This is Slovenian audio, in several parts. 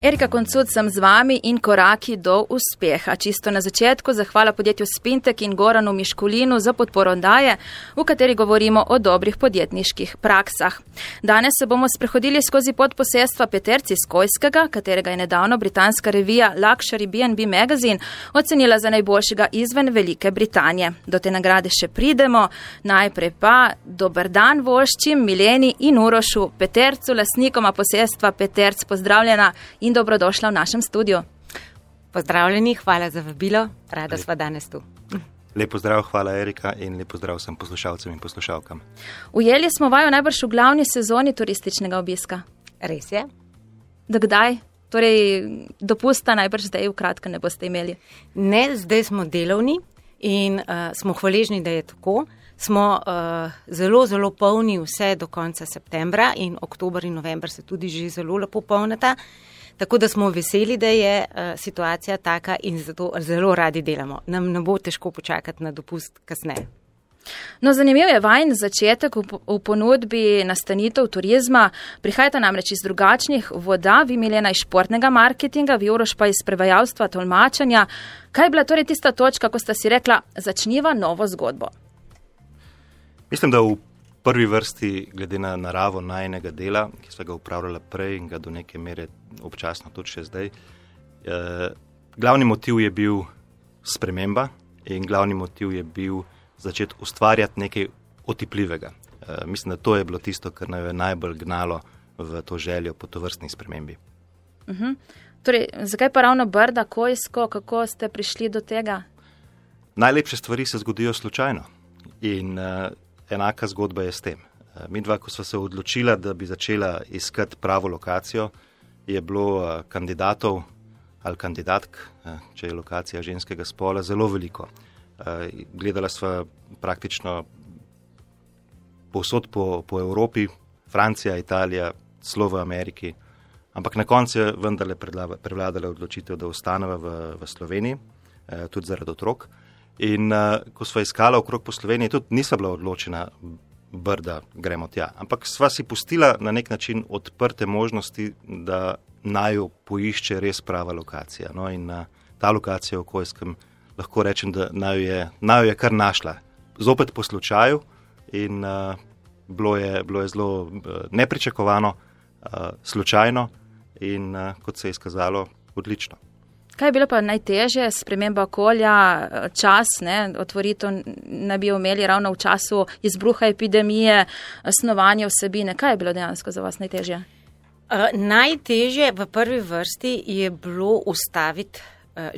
Erika Koncud sem z vami in koraki do uspeha. Čisto na začetku zahvala podjetju Spintek in Goranu Miškulinu za podporo oddaje, v kateri govorimo o dobrih podjetniških praksah. Danes se bomo sprehodili skozi podposestva Peterc iz Kojskega, katerega je nedavno britanska revija Luxury B&B Magazine ocenila za najboljšega izven Velike Britanije. Do te nagrade še pridemo. Najprej pa dober dan voščim Mileni in Urošu Petercu, lastnikoma posestva Peterc. Pozdravljena in dobrodošla v našem studiu. Pozdravljeni, hvala za vabilo, rada sva danes tu. Lep pozdrav, hvala Erika in lep pozdrav vsem poslušalcem in poslušalkam. Ujeli smo vaju najbrž v glavni sezoni turističnega obiska. Res je. Do kdaj? Torej, dopusta najbrž zdaj v kratkem ne boste imeli. Ne, zdaj smo delovni in smo hvaležni, da je tako. Smo zelo, zelo polni vse do konca septembra in oktober in november se tudi že zelo lepo polnata. Tako da smo veseli, da je situacija taka in zato zelo radi delamo. Nam ne bo težko počakati na dopust kasneje. No, zanimiv je vajin začetek v ponudbi nastanitev turizma. Prihajate namreč iz drugačnih voda, vi Milena iz športnega marketinga, vi Uroš pa iz prevajalstva, tolmačenja. Kaj je bila torej tista točka, ko sta si rekla, začniva novo zgodbo? Mislim, da v prvi vrsti, glede na naravo najinega dela, ki sva ga upravljala prej in ga do neke mere občasno tudi še zdaj, glavni motiv je bil sprememba in glavni motiv je bil začeti ustvarjati nekaj otipljivega. Mislim, da to je bilo tisto, kar nas je najbolj gnalo v to željo po tovrstni spremembi. Torej, zakaj pa ravno Brda, Kojsko, kako ste prišli do tega? Najlepše stvari se zgodijo slučajno in enaka zgodba je s tem. Midva, ko sva se odločila, da bi začela iskati pravo lokacijo, je bilo kandidatov ali kandidatk, če je lokacija ženskega spola, zelo veliko. Gledala sva praktično povsod po Evropi, Francija, Italija, celo v Ameriki, ampak na koncu je vendarle prevladala odločitev, da ostaneva v Sloveniji, tudi zaradi otrok. In ko sva iskala okrog po Sloveniji, tudi nisva bila odločena Brda, gremo tja. Ampak sva si pustila na nek način odprte možnosti, da naju poišče res prava lokacija. No, in ta lokacija v Kojskem, lahko rečem, da naju je kar našla. Zopet po slučaju in bilo je zelo nepričakovano, slučajno in kot se je izkazalo, odlično. Kaj je bilo pa najtežje, sprememba okolja, čas, otvoritev ne bi imeli ravno v času izbruha epidemije, snovanje vsebine. Kaj je bilo dejansko za vas najtežje? Najtežje v prvi vrsti je bilo ustaviti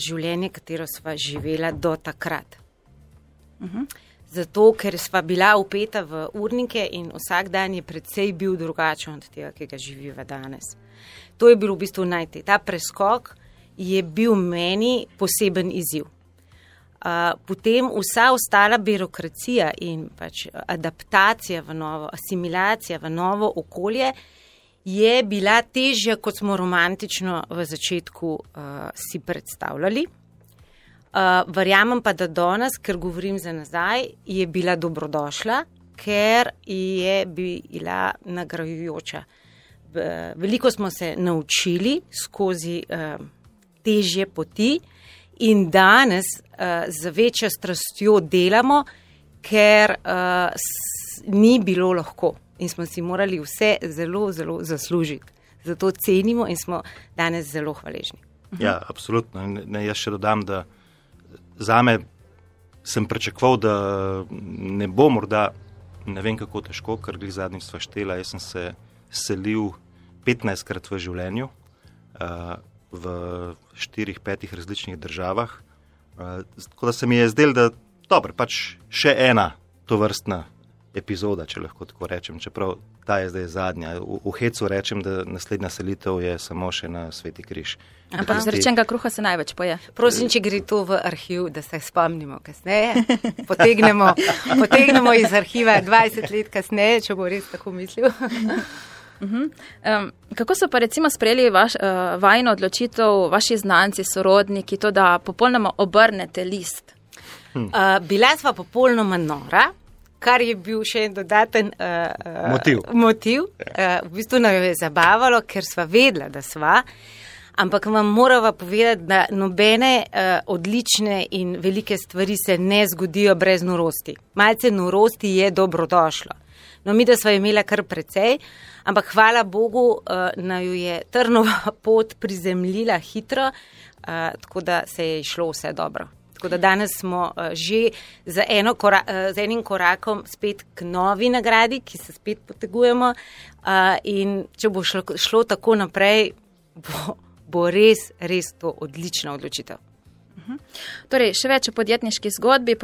življenje, katero sva živela do takrat. Zato, ker sva bila vpeta v urnike in vsak dan je predvsej bil drugačen od tega, ki ga živiva danes. To je bil v bistvu ta preskok je bil meni poseben izziv. Potem vsa ostala birokracija in pač adaptacija v novo, asimilacija v novo okolje je bila težja, kot smo romantično v začetku si predstavljali. Verjamem pa, da danes, ker govorim za nazaj, je bila dobrodošla, ker je bila nagrajujoča. Veliko smo se naučili skozi težje poti in danes z večjo strastjo delamo, ker ni bilo lahko in smo si morali vse zelo, zelo zaslužiti. Zato cenimo in smo danes zelo hvaležni. Ja, absolutno. Jaz še dodam, da zame sem pričakoval, da ne bo morda, ne vem kako težko, ker glih zadnjič sva štela, jaz sem se selil 15-krat v življenju, v 4-5 različnih državah. Tako da se mi je zdelo, da dobro, pač še ena tovrstna epizoda, če lahko tako rečem, čeprav ta je zdaj zadnja. V hecu rečem, da naslednja selitev je samo še na Sveti križ. Ampak zrečenega kruha se največ poje. Prosim, če gre to v arhiv, da se spomnimo kasneje. Potegnemo iz arhiva 20 let kasneje, če bo res tako mislil. Kako so pa recimo sprejeli vajino odločitev vaši znanci, sorodniki, to, da popolnoma obrnete list? Bila sva popolnoma nora, kar je bil še en dodaten motiv. V bistvu nam je zabavalo, ker sva vedela, da sva, Ampak vam morava povedati, da nobene odlične in velike stvari se ne zgodijo brez norosti. Malce norosti je dobrodošlo. No, mi da sva imela kar precej, ampak hvala Bogu, naju je Trnova pot prizemljila hitro, tako da se je išlo vse dobro. Tako da danes smo že z enim korakom spet k novi nagradi, ki se spet potegujemo, in če bo šlo tako naprej, bo res to odlična odločitev. Torej, še več o podjetniški zgodbi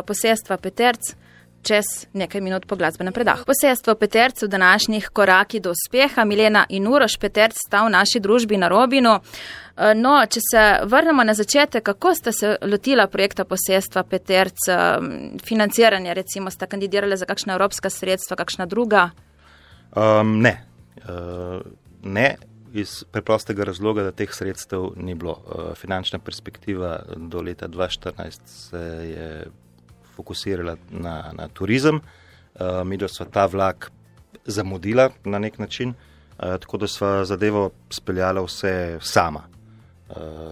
posestva Peterc čez nekaj minut po glasbenem predahu. Posestvo Peterc v današnjih koraki do uspeha. Milena in Uroš Peterc sta v naši družbi na Robinu. No, če se vrnemo na začetek, kako sta se lotila projekta posestva Peterc, financiranje, recimo, sta kandidirali za kakšna evropska sredstva, kakšna druga? Ne, iz preprostega razloga, da teh sredstev ni bilo. Finančna perspektiva do leta 2014 se je fokusirala na turizem. Mi da sva ta vlak zamudila na nek način, tako da sva zadevo speljala vse sama,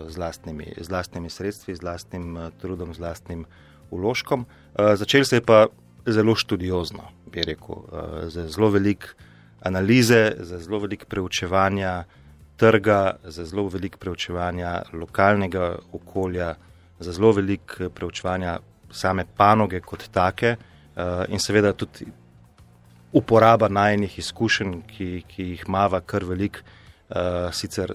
z lastnimi sredstvi, z lastnim trudom, z lastnim vložkom. Začeli se je pa zelo študiozno, bi rekel, z zelo veliko analize, z zelo veliko preučevanja trga, z zelo veliko preučevanja lokalnega okolja, z zelo veliko preučevanja same panoge kot take, in seveda tudi uporaba najinih izkušenj, ki jih imava kar veliko. Sicer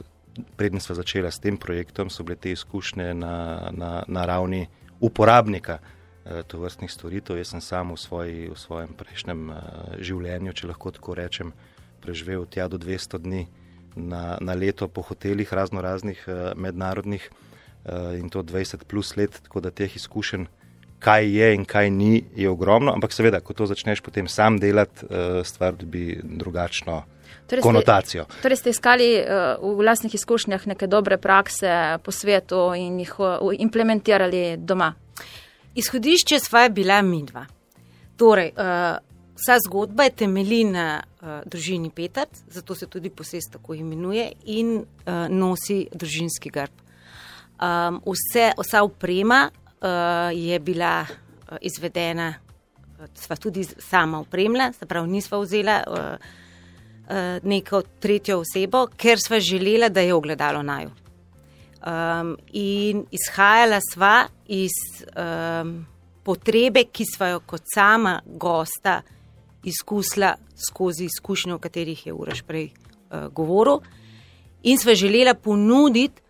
preden sva začela s tem projektom, so bile te izkušnje na ravni uporabnika tovrstnih storitev. Jaz sem sam v svojem prejšnjem življenju, če lahko tako rečem, preživel tja do 200 dni na leto po hotelih raznoraznih mednarodnih, in to 20 plus let, tako da teh izkušenj, kaj je in kaj ni, je ogromno, ampak seveda, ko to začneš potem sam delati, stvar dobi drugačno konotacijo. Torej ste iskali v vlastnih izkušnjah neke dobre prakse po svetu in jih implementirali doma? Izhodišče sva bila midva. Torej, vsa zgodba je temelji na družini Peterc, zato se tudi posest tako imenuje, in nosi družinski grb. Vsa oprema je bila izvedena, sva tudi sama opremila, se pravi, nisva vzela neko tretjo osebo, ker sva želela, da je ogledalo naju. In izhajala sva iz potrebe, ki sva jo kot sama gosta izkusila skozi izkušnje, o katerih je Uroš prej govoril, in sva želela ponuditi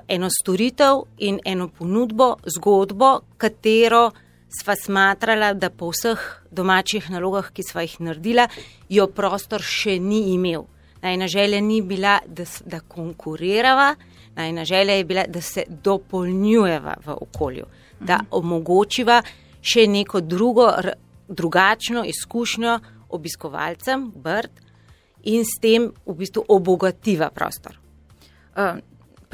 eno storitev in eno ponudbo, zgodbo, katero sva smatrala, da po vseh domačih nalogah, ki sva jih naredila, jo prostor še ni imel. Najna želja ni bila, da konkurirava, najna želja je bila, da se dopolnjujeva v okolju, da omogočiva še neko drugačno izkušnjo obiskovalcem Brd in s tem v bistvu obogativa prostor.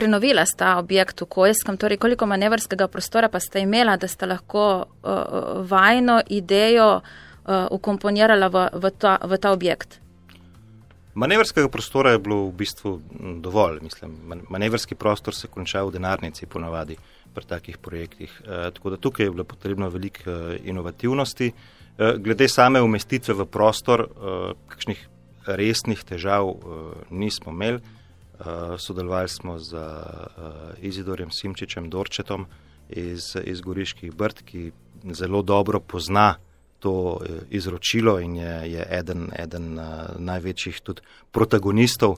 Prenovila sta objekt v Kojskem, torej koliko manevrskega prostora pa sta imela, da sta lahko vajno idejo ukomponirala v ta objekt? Manevrskega prostora je bilo v bistvu dovolj. Mislim, manevrski prostor se konča v denarnici ponavadi pri takih projektih. Tako da tukaj je bilo potrebno veliko inovativnosti. Glede same umestitve v prostor, kakšnih resnih težav nismo imeli. Sodelovali smo z Izidorjem Simčičem Dorčetom iz Goriških Brd, ki zelo dobro pozna to izročilo in je eden največjih tudi protagonistov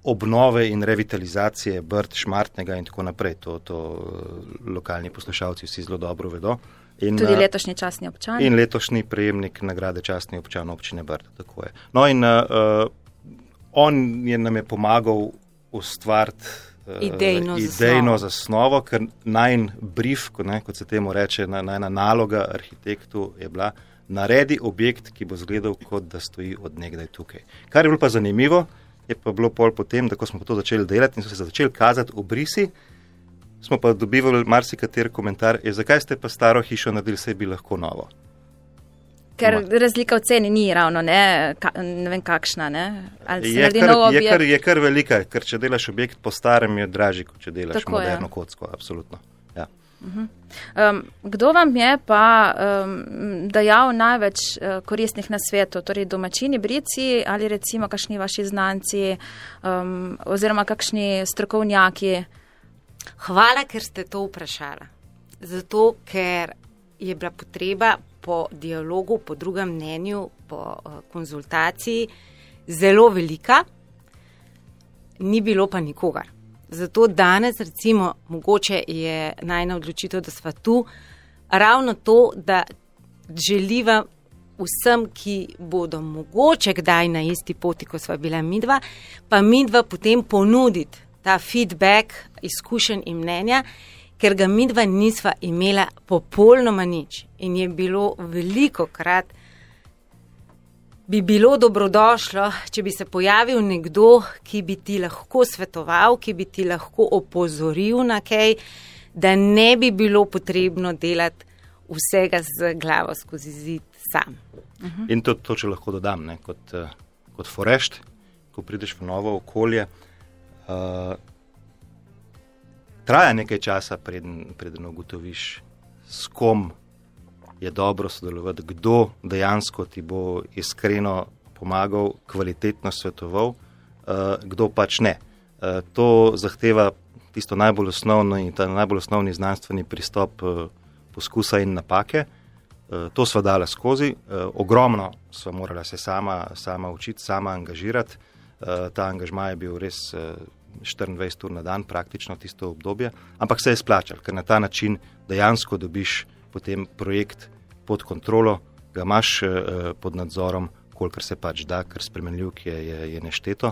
obnove in revitalizacije Brd, Šmartnega in tako naprej. To lokalni poslušalci vsi zelo dobro vedo. In, tudi letošnji častni občan. In letošnji prejemnik nagrade častni občan občine Brd. Tako je. No in on nam je pomagal ustvariti idejno zasnovo, ker najin brief, kot se temu reče, najna naloga arhitektu je bila, naredi objekt, ki bo izgledal, kot da stoji od nekdaj tukaj. Kar je bilo pa zanimivo, je pa bilo pol potem, da ko smo to začeli delati in so se začeli kazati obrisi, smo pa dobivali marsikater komentar, zakaj ste pa staro hišo naredili, saj bi lahko novo. Ker razlika v ceni ni ravno, ne vem kakšna, ne? Je kar velika, ker če delaš objekt po starem, je dražji, kot če delaš tako moderno kocko, absolutno. Ja. Kdo vam je pa dajal največ koristnih nasvetov, torej domačini brici ali recimo kakšni vaši znanci oziroma kakšni strokovnjaki? Hvala, ker ste to vprašala. Zato, ker je bila potreba po dialogu, po drugem mnenju, po konzultaciji zelo velika, ni bilo pa nikogar. Zato danes recimo mogoče je najna odločitev, da sva tu, ravno to, da želiva vsem, ki bodo mogoče kdaj na isti poti, ko sva bila midva, pa midva potem ponuditi ta feedback, izkušenj in mnenja, ker ga midva nisva imela popolnoma nič. In je bilo velikokrat, bi bilo dobrodošlo, če bi se pojavil nekdo, ki bi ti lahko svetoval, ki bi ti lahko opozoril na kaj, da ne bi bilo potrebno delati vsega z glavo skozi zid sam. In to če lahko dodam, ne, kot forešt, ko prideš v novo okolje, traja nekaj časa, preden ugotoviš, s kom je dobro sodelovati, kdo dejansko ti bo iskreno pomagal, kvalitetno svetoval, kdo pač ne. To zahteva tisto najbolj osnovno in ta najbolj osnovni znanstveni pristop poskusa in napake. To sva dala skozi, ogromno sva morala se sama učiti, sama angažirati. Ta angažma je bil res 24 ur na dan, praktično tisto obdobje, ampak se je splačal, ker na ta način dejansko dobiš potem projekt pod kontrolo, ga imaš pod nadzorom, kolikor se pač da, ker spremenljivk je nešteto.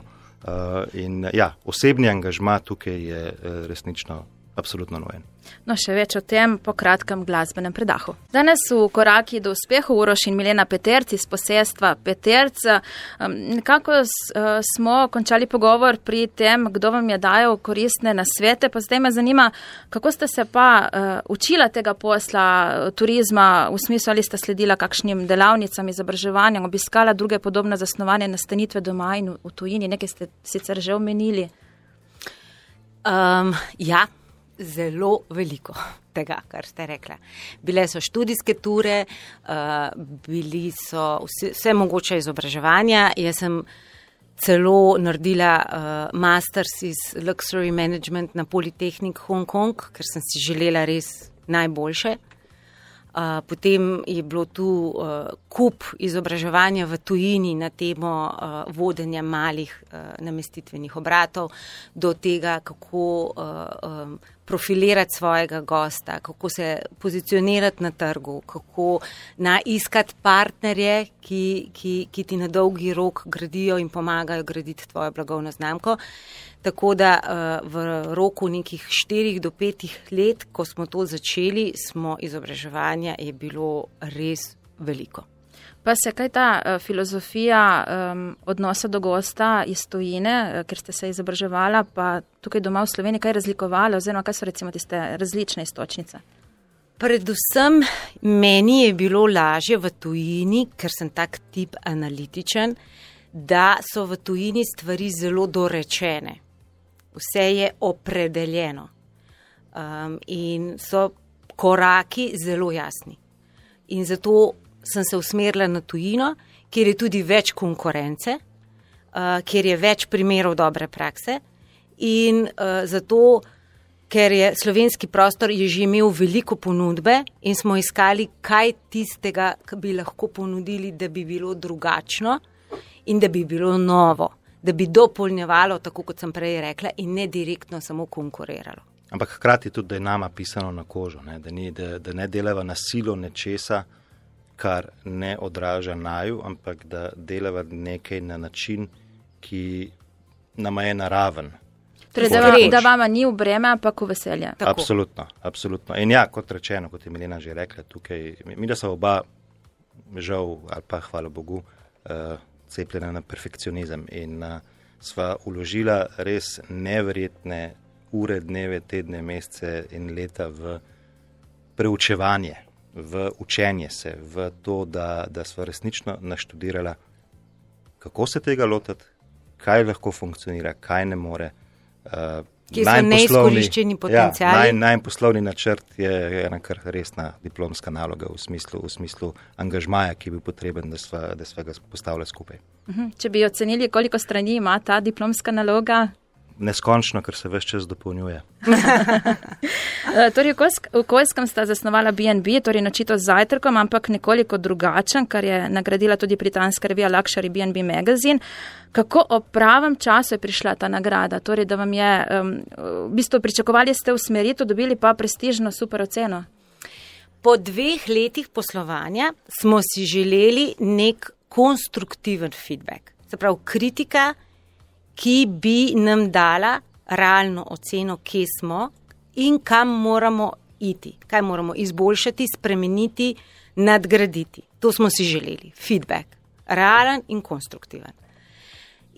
In ja, osebni angažma tukaj je resnično absolutno nujen. No, še več o tem po kratkem glasbenem predahu. Danes v koraki do uspeha Uroš in Milena Peterc iz posestva Peterc. Nekako smo končali pogovor pri tem, kdo vam je dajal koristne nasvete, pa zdaj me zanima, kako ste se pa učila tega posla turizma, v smislu, ali ste sledila kakšnim delavnicam, izobraževanjem, obiskala druge podobne zasnovane nastanitve doma in v tujini, nekaj ste sicer že omenili? Ja. Zelo veliko tega, kar ste rekla. Bile so študijske ture, bili so vse mogoče izobraževanja. Jaz sem celo naredila masters iz Luxury Management na Polytechnic Hong Kong, ker sem si želela res najboljše. Potem je bilo tu kup izobraževanja v tujini na temo vodenja malih namestitvenih obratov, do tega, kako profilirati svojega gosta, kako se pozicionirati na trgu, kako iskati partnerje, ki ti na dolgi rok gradijo in pomagajo graditi tvojo blagovno znamko. Tako da v roku nekih 4 do 5 let, ko smo to začeli, izobraževanja je bilo res veliko. Pa se kaj ta filozofija odnosa do gosta iz tujine, ker ste se izobraževala, pa tukaj doma v Sloveniji, kaj razlikovala, oziroma kaj so recimo tiste različne iztočnice? Predvsem meni je bilo lažje v tujini, ker sem tak tip analitičen, da so v tujini stvari zelo dorečene. Vse je opredeljeno in so koraki zelo jasni. In zato sem se usmerila na tujino, kjer je tudi več konkurence, kjer je več primerov dobre prakse in zato, ker je slovenski prostor je že imel veliko ponudbe in smo iskali, kaj tistega, ki bi lahko ponudili, da bi bilo drugačno in da bi bilo novo, da bi dopolnjevalo, tako kot sem prej rekla, in ne direktno samo konkuriralo. Ampak hkrati tudi, da je nama pisano na kožo, ne? Da ne delava na silo nečesa, kar ne odraža naju, ampak da delava nekaj na način, ki nama je naraven. Torej, da vama ni v breme, ampak v veselje. Absolutno, absolutno. In ja, kot rečeno, kot je Milena že rekla, tukaj, mi da so oba, žal, ali pa hvala Bogu, cepljena na perfekcionizem in sva uložila res neverjetne ure, dneve, tedne, mesece in leta v preučevanje v učenje se, v to, da sva resnično naštudirala, kako se tega lotiti, kaj lahko funkcionira, kaj ne more. Kje so neizkoriščeni potenciali? Najn poslovni načrt je ena kar resna diplomska naloga v smislu angažmaja, ki bi potreben, da sva ga postavila skupaj. Če bi ocenili, koliko strani ima ta diplomska naloga? Neskončno, ker se ves čas dopolnjuje. Torej, v Okoljskem sta zasnovala B&B, torej načito z zajtrkom, ampak nekoliko drugačen, kar je nagradila tudi britanska revija Luxury B&B Magazine. Kako ob pravem času je prišla ta nagrada? Torej, da vam je, v bistvu pričakovali ste usmeritev, dobili pa prestižno super oceno? Po 2 letih poslovanja smo si želeli nek konstruktiven feedback. Se pravi, kritika, ki bi nam dala realno oceno, kje smo in kam moramo iti, kaj moramo izboljšati, spremeniti, nadgraditi. To smo si želeli, feedback, realen in konstruktiven.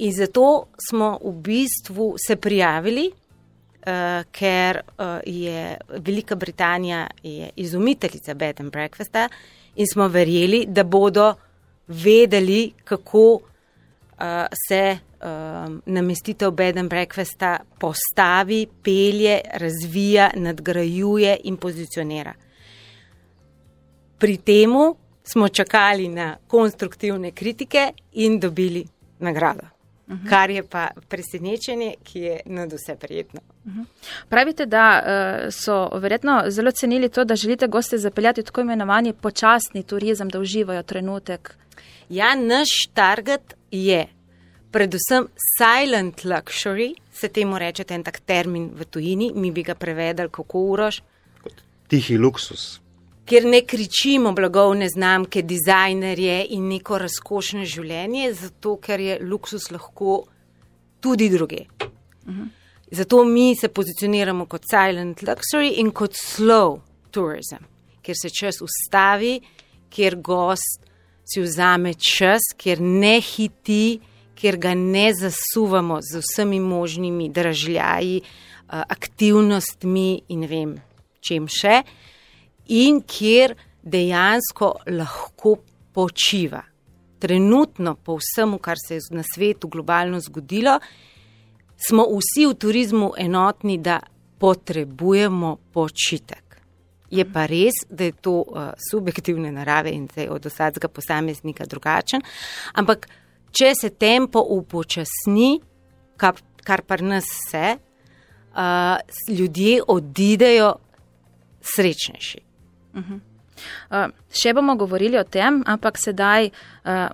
In zato smo v bistvu se prijavili, ker je Velika Britanija je izumiteljica bed and breakfasta in smo verjeli, da bodo vedeli, kako se namestitev bed and breakfasta postavi, pelje, razvija, nadgrajuje in pozicionira. Pri temu smo čakali na konstruktivne kritike in dobili nagrado. Kar je pa presenečenje, ki je nadvse prijetno. Pravite, da so verjetno zelo cenili to, da želite goste zapeljati tako imenovani počasni turizem, da uživajo trenutek. Ja, naš target je predvsem silent luxury, se temu reče en tak termin v tujini, mi bi ga prevedali kako Uroš. Tihi luksus. Kjer ne kričimo blagovne znamke, dizajnerje in neko razkošno življenje, zato ker je luksus lahko tudi druge. Zato mi se pozicioniramo kot silent luxury in kot slow tourism, kjer se čas ustavi, kjer gost si vzame čas, kjer ne hiti, kjer ga ne zasuvamo z vsemi možnimi dražljaji, aktivnostmi in ne vem čem še, in kjer dejansko lahko počiva. Trenutno po vsemu, kar se je na svetu globalno zgodilo, smo vsi v turizmu enotni, da potrebujemo počitek. Je pa res, da je to subjektivne narave in da je od vsakega posameznika drugačen, ampak če se tempo upočasni, kar pri nas se, ljudje odidejo srečnejši. Še bomo govorili o tem, ampak sedaj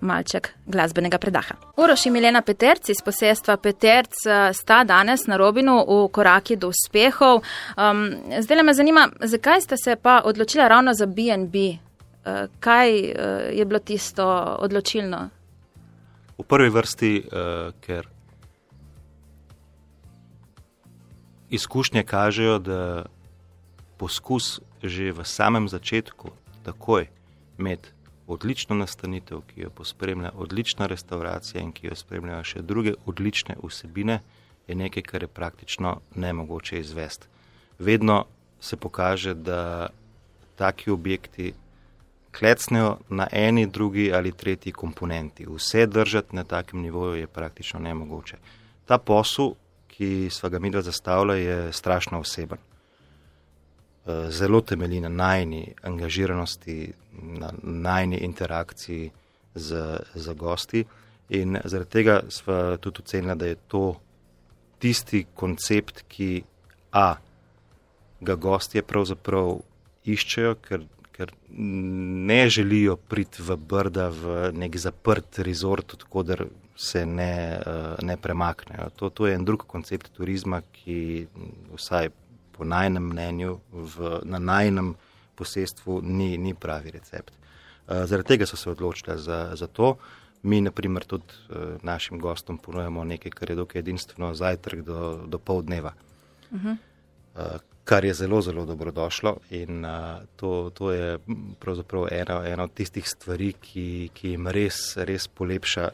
malček glasbenega predaha. Uroš in Milena Peterc iz posestva Peterc sta danes na Robinu v koraki do uspehov. Zdaj me zanima, zakaj ste se pa odločila ravno za B&B? Kaj je bilo tisto odločilno? V prvi vrsti, ker izkušnje kažejo, da poskus že v samem začetku, takoj med odlično nastanitev, ki jo pospremlja odlična restauracija in ki jo spremljajo še druge odlične vsebine, je nekaj, kar je praktično nemogoče izvesti. Vedno se pokaže, da taki objekti klecnejo na eni, drugi ali tretji komponenti. Vse držati na takem nivoju je praktično nemogoče. Ta posel, ki sva ga midva zastavila, je strašno oseben. Zelo temelji na najni angažiranosti, na najni interakciji z gosti in zaradi tega sva tudi ocenila, da je to tisti koncept, ki ga gostje pravzaprav iščejo, ker ne želijo priti v Brda v nek zaprt resort, odkoder se ne premaknejo. To je en drug koncept turizma, ki vsaj po najnem mnenju na najnem posestvu ni pravi recept. Zaradi tega so se odločili za to. Mi, na primer, tudi našim gostom ponujamo nekaj, kar je dokaj edinstveno, zajtrk do pol dneva, kar je zelo, zelo dobrodošlo in to je pravzaprav ena od tistih stvari, ki jim res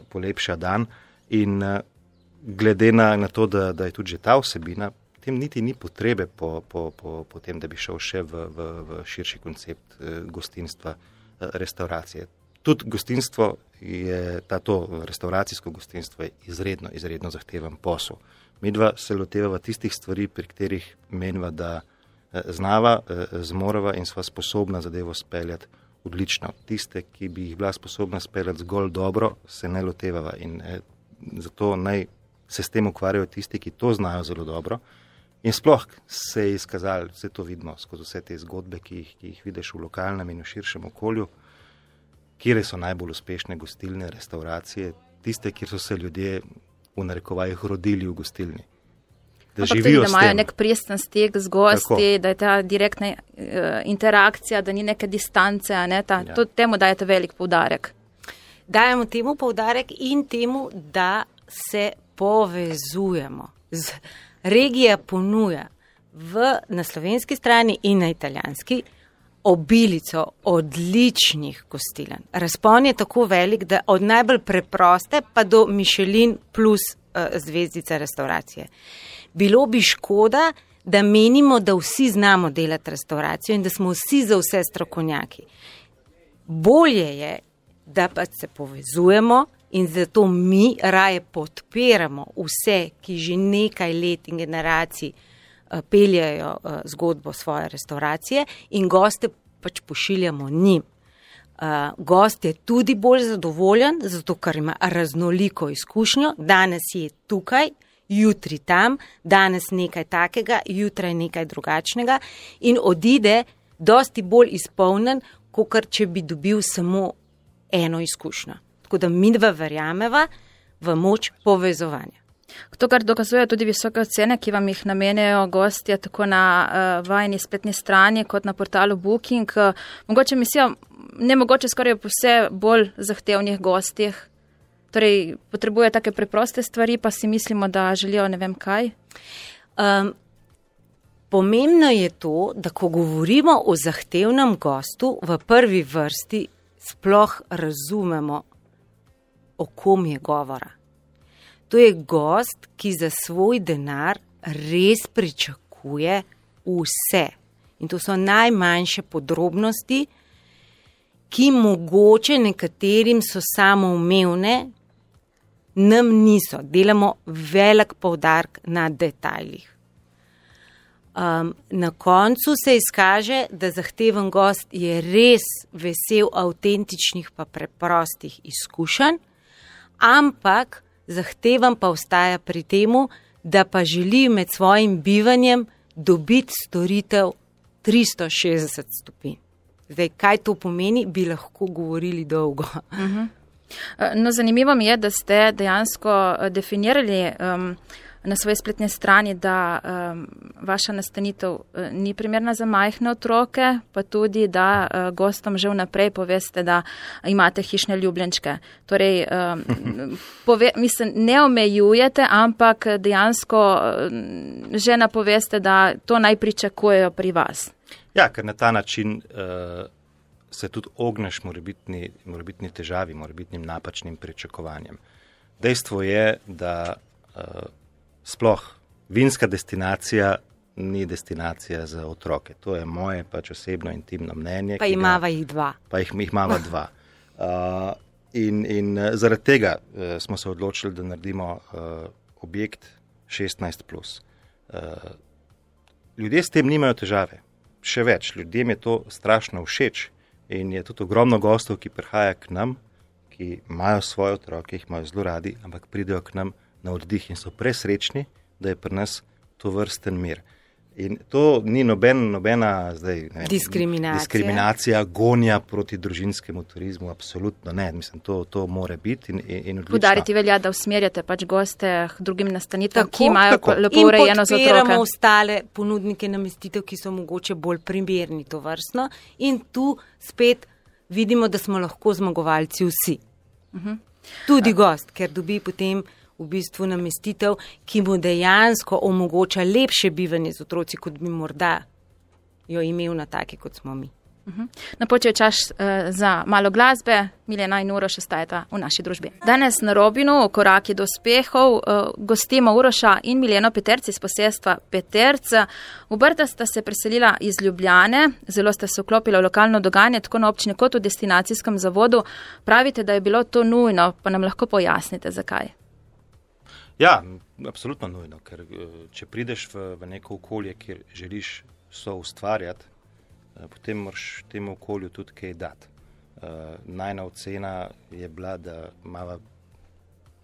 polepša dan in glede na to, da je tudi že ta vsebina, potem niti ni potrebe po tem, da bi šel še v širši koncept gostinstva, restauracije. Tudi gostinstvo to restauracijsko gostinstvo je izredno zahteven posel. Midva se lotevava tistih stvari, pri katerih meniva, da znava, zmorava in sva sposobna zadevo speljati odlično. Tiste, ki bi jih bila sposobna speljati zgolj dobro, se ne lotevava in zato naj se s tem ukvarjajo tisti, ki to znajo zelo dobro. In sploh se je izkazalo, vse to vidimo skozi vse te zgodbe, ki jih vidiš v lokalnem in v širšem okolju, kjer so najbolj uspešne gostilne, restauracije, tiste, kjer so se ljudje v narekovajih rodili v gostilni. Ampak tudi, da imajo nek prijesten stik z gosti, da je ta direktna interakcija, da ni neke distance, temu dajete velik poudarek. Dajemo temu poudarek in temu, da se povezujemo. Regija ponuja na slovenski strani in na italijanski obilico odličnih gostiln. Razpon je tako velik, da od najbolj preproste pa do Michelin plus zvezdica restauracije. Bilo bi škoda, da menimo, da vsi znamo delati restauracijo in da smo vsi za vse strokovnjaki. Bolje je, da pa se povezujemo in zato mi raje podpiramo vse, ki že nekaj let in generacij peljajo zgodbo svoje restauracije in goste pač pošiljamo njim. Gost je tudi bolj zadovoljen, zato ker ima raznoliko izkušnjo, danes je tukaj, jutri tam, danes nekaj takega, jutraj nekaj drugačnega in odide dosti bolj izpolnjen, kakor če bi dobil samo eno izkušnjo. Tako da midva verjameva v moč povezovanja. To, kar dokazuje tudi visoke cene, ki vam jih namenjajo gostje tako na vajni spletni strani kot na portalu Booking. Mogoče mislijo, nemogoče skoraj po vse bolj zahtevnih gostih. Torej, potrebuje take preproste stvari, pa si mislimo, da želijo ne vem kaj. Pomembno je to, da ko govorimo o zahtevnem gostu, v prvi vrsti sploh razumemo, o kom je govora. To je gost, ki za svoj denar res pričakuje vse. In to so najmanjše podrobnosti, ki mogoče nekaterim so samoumevne, nam niso. Delamo velik poudarek na detajlih. Na koncu se izkaže, da zahteven gost je res vesel avtentičnih pa preprostih izkušenj, ampak zahteven pa ostaja pri temu, da pa želi med svojim bivanjem dobiti storitev 360 stopinj. Zdaj, kaj to pomeni, bi lahko govorili dolgo. No, zanimivo mi je, da ste dejansko definirali na svoji spletni strani, da vaša nastanitev ni primerna za majhne otroke, pa tudi, da gostom že vnaprej poveste, da imate hišne ljubljenčke. Torej, ne omejujete, ampak dejansko že napoveste, da to naj pričakujejo pri vas. Ja, ker na ta način se tudi ogneš morebitni težavi, morebitnim napačnim pričakovanjem. Dejstvo je, da sploh vinska destinacija ni destinacija za otroke. To je moje pač osebno intimno mnenje. Pa imava jih dva. Pa jih imava dva. In zaradi tega smo se odločili, da naredimo objekt 16+. Ljudje s tem nimajo težave. Še več, ljudem je to strašno všeč in je tudi ogromno gostov, ki prihaja k nam, ki imajo svoje otroke, jih imajo zelo radi, ampak pridejo k nam na oddih in so presrečni, da je pri nas to vrsten mir. In to ni nobena zdaj, diskriminacija, gonja proti družinskemu turizmu, absolutno ne. Mislim, to mora biti in odlično. Podariti velja, da usmerjate pač goste k drugim nastanitvam, ki imajo lepo urejeno za otroke. In podpiramo ostale ponudnike namestitev, ki so mogoče bolj primerni to vrstno. In tu spet vidimo, da smo lahko zmagovalci vsi. Tudi gost, ker dobi potem v bistvu namestitev, ki mu dejansko omogoča lepše bivanje z otroci, kot bi morda jo imel na taki, kot smo mi. Napočil je čas za malo glasbe, Milena in Uroš ostajata v naši družbi. Danes na Robinu, v koraki do uspehov, gostimo Uroša in Mileno Peterc iz posestva Peterc. V Brda sta se preselila iz Ljubljane, zelo sta se vklopila v lokalno dogajanje, tako na občini kot v destinacijskem zavodu. Pravite, da je bilo to nujno, pa nam lahko pojasnite, zakaj? Ja, absolutno nujno, ker če prideš v neko okolje, kjer želiš soustvarjati, potem moraš temu okolju tudi kaj dati. Najna ocena je bila, da ima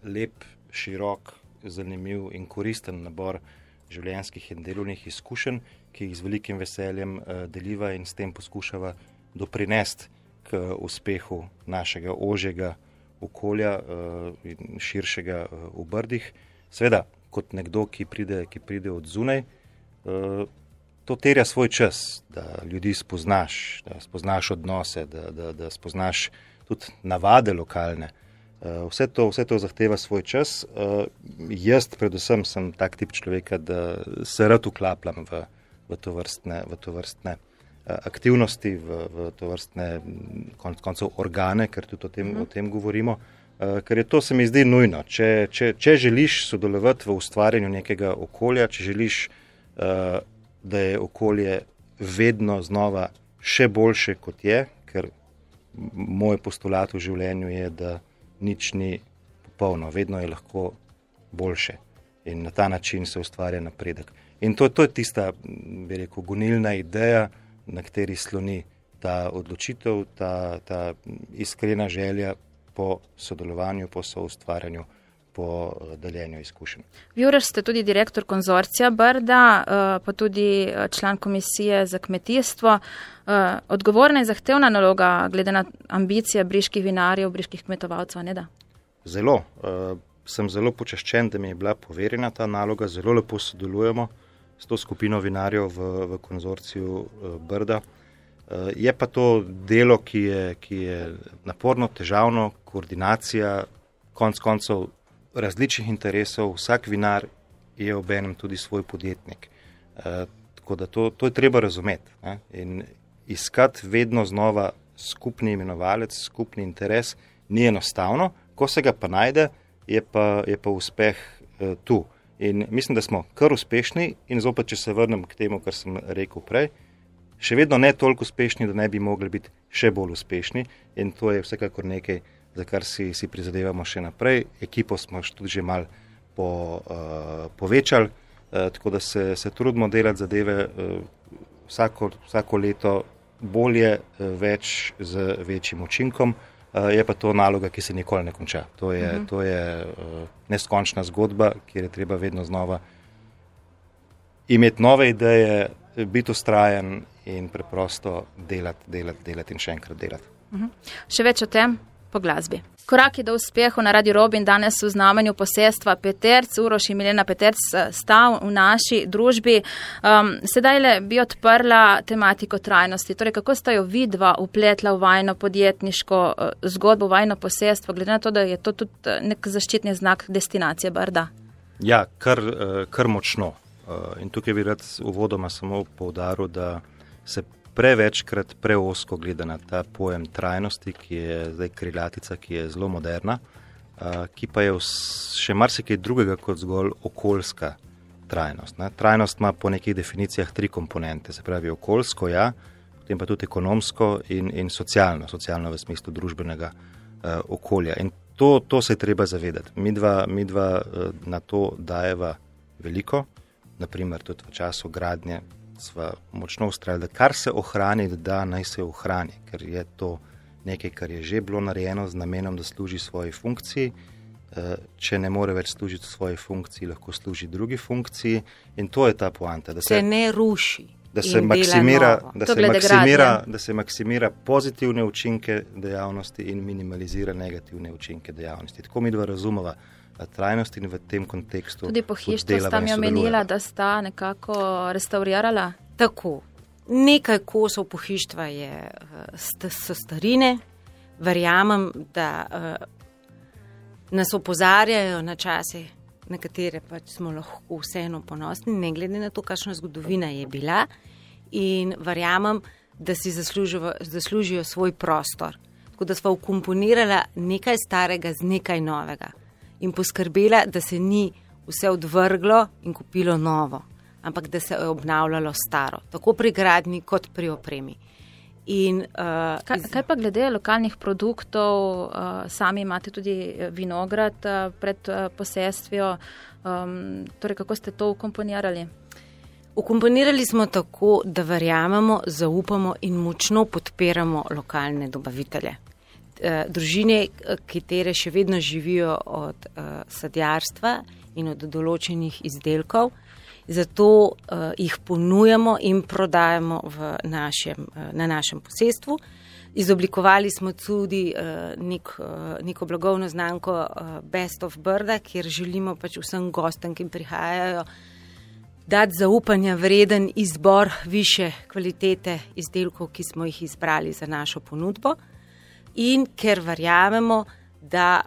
lep, širok, zanimiv in koristen nabor življenjskih in delovnih izkušenj, ki jih z velikim veseljem deliva in s tem poskušava doprinesti k uspehu našega ožjega okolja in širšega v Brdih. Seveda, kot nekdo, ki pride od zunaj, to terja svoj čas, da ljudi spoznaš, da spoznaš odnose, da spoznaš tudi navade lokalne. Vse to zahteva svoj čas. Jaz predvsem sem tak tip človeka, da se rad vklapljam v tovrstne aktivnosti, v tovrstne koncev organe, ker tudi o tem govorimo, ker je to, se mi zdi, nujno. Če želiš sodelovati v ustvarjanju nekega okolja, če želiš da je okolje vedno znova še boljše, kot je, ker moj postulat v življenju je, da nič ni popolno, vedno je lahko boljše in na ta način se ustvarja napredek. In to je tista, bi rekel, gonilna ideja, na kateri sloni ta odločitev, ta iskrena želja po sodelovanju, po soustvarjanju, po deljenju izkušenj. Vi, Uroš, ste tudi direktor konzorcija Brda, pa tudi član komisije za kmetijstvo. Odgovorna in zahtevna naloga glede na ambicije briških vinarjev, briških kmetovalcev, ne da? Zelo. Sem zelo počaščen, da mi je bila poverjena ta naloga. Zelo lepo sodelujemo s to skupino vinarjev v konzorciju Brda. Je pa to delo, ki je naporno, težavno, koordinacija, konec koncev različnih interesov, vsak vinar je obenem tudi svoj podjetnik. Tako da to je treba razumeti, ne? In iskati vedno znova skupni imenovalec, skupni interes ni enostavno, ko se ga pa najde, je pa uspeh tu. In mislim, da smo kar uspešni in zopet, če se vrnem k temu, kar sem rekel prej, še vedno ne toliko uspešni, da ne bi mogli biti še bolj uspešni in to je vsekakor nekaj, za kar si prizadevamo še naprej. Ekipo smo tudi že malo povečali, tako da se trudimo delati zadeve vsako leto bolje, več z večjim učinkom. Je pa to naloga, ki se nikoli ne konča. To je neskončna zgodba, kjer je treba vedno znova imeti nove ideje, biti vztrajen in preprosto delati in še enkrat delati. Še več o tem po glasbi. Koraki do uspehu na Radiu Robin danes v znamenju posestva Peterc. Uroš in Milena Peterc sta v naši družbi. Sedaj bi odprla tematiko trajnosti. Torej, kako sta jo vidva upletla v vajno podjetniško zgodbo, vajno posestvo, glede na to, da je to tudi nek zaščitni znak destinacije Brda? Ja, kar močno. In tukaj bi rad uvodoma samo poudaril, da se prevečkrat preosko gleda na ta pojem trajnosti, ki je zdaj krilatica, ki je zelo moderna, ki pa je še marsikaj drugega kot zgolj okoljska trajnost. Ne? Trajnost ima po nekih definicijah 3 komponente, se pravi okoljsko, ja, potem pa tudi ekonomsko in socialno v smislu družbenega okolja. In to se je treba zavedati. Midva na to dajeva veliko, naprimer tudi v času gradnje sva močno ustrajali, da kar se ohrani, da naj se ohrani, ker je to nekaj, kar je že bilo narejeno z namenom, da služi svoji funkciji. Če ne more več služiti svoji funkciji, lahko služi drugi funkciji in to je ta poanta. Da se ne ruši. Da se maksimira pozitivne učinke dejavnosti in minimalizira negativne učinke dejavnosti. Tako mi dva razumeva trajnost in v tem kontekstu. Tudi pohištvo sta mi omenila, da sta nekako restaurirala? Tako. Nekaj kosov pohištva so starine. Verjamem, da nas opozarjajo na čase, na katere pač smo lahko vseeno ponosni, ne glede na to, kakšna zgodovina je bila. In verjamem, da si zaslužijo svoj prostor. Tako da sva ukomponirala nekaj starega z nekaj novega in poskrbela, da se ni vse odvrglo in kupilo novo, ampak da se je obnavljalo staro, tako pri gradnji kot pri opremi. Kaj pa glede lokalnih produktov, sami imate tudi vinograd pred posestvijo, torej kako ste to ukomponirali? Ukomponirali smo tako, da verjamemo, zaupamo in močno podpiramo lokalne dobavitelje. Družine, katere še vedno živijo od sadjarstva in od določenih izdelkov, zato jih ponujamo in prodajamo na našem posestvu. Izoblikovali smo tudi neko blagovno znamko Best of Brda, kjer želimo pač vsem gostom, ki prihajajo, dati zaupanja vreden izbor više kvalitete izdelkov, ki smo jih izbrali za našo ponudbo. In ker verjamemo, da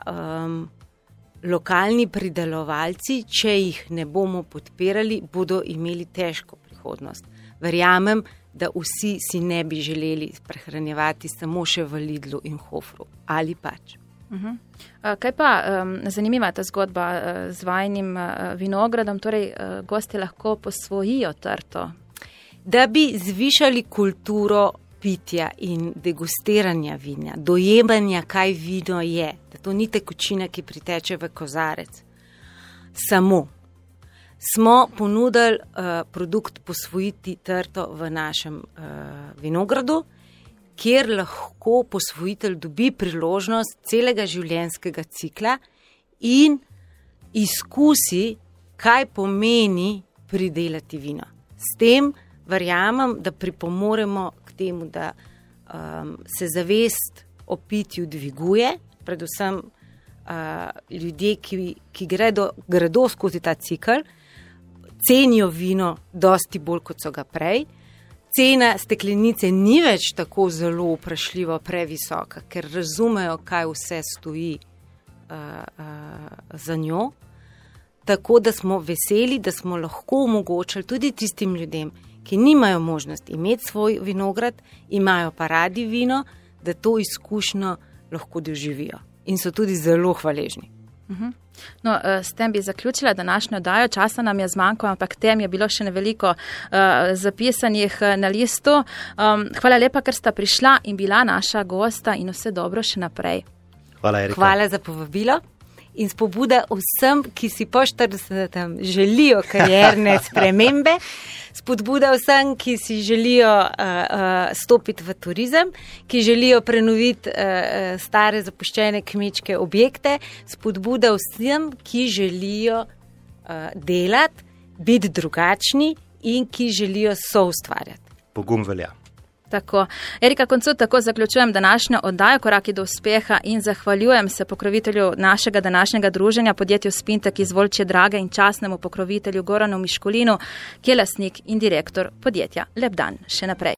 lokalni pridelovalci, če jih ne bomo podpirali, bodo imeli težko prihodnost. Verjamem, da vsi si ne bi želeli prehranjevati samo še v Lidlu in Hofru. Ali pač. Kaj pa zanimiva ta zgodba z vajinim vinogradom, torej gosti lahko posvojijo trto? Da bi zvišali kulturo pitja in degustiranja vina, dojemanja, kaj vino je, da to ni tekočina, ki priteče v kozarec. Samo smo ponudili produkt posvojiti trto v našem vinogradu, kjer lahko posvojitelj dobi priložnost celega življenjskega cikla in izkusi, kaj pomeni pridelati vino. S tem verjamem, da pripomoremo k temu, da se zavest o pitju dviguje, predvsem ljudje, ki gredo skozi ta cikl, cenijo vino dosti bolj, kot so ga prej. Cena steklenice ni več tako zelo vprašljivo previsoka, ker razumejo, kaj vse stoji za njo. Tako da smo veseli, da smo lahko omogočili tudi tistim ljudem, ki nimajo možnosti imeti svoj vinograd, imajo pa radi vino, da to izkušnjo lahko doživijo. In so tudi zelo hvaležni. No, s tem bi zaključila današnjo oddajo, časa nam je zmanjkalo, ampak tem je bilo še neveliko zapisanih na listu. Hvala lepa, ker sta prišla in bila naša gosta in vse dobro še naprej. Hvala, Erika. Hvala za povabilo in spodbuda vsem, ki si po 40. želijo karierne spremembe, spodbuda vsem, ki si želijo stopiti v turizem, ki želijo prenoviti stare zapuščene kmečke objekte, spodbuda vsem, ki želijo delati, biti drugačni in ki želijo soustvarjati. Pogum velja. Tako. Erika Koncut, tako zaključujem današnjo oddajo Koraki do uspeha in zahvaljujem se pokrovitelju našega današnjega druženja, podjetju Spintek iz Volčje Drage in častnemu pokrovitelju Goranu Miškulinu, ki je lastnik in direktor podjetja. Lep dan še naprej.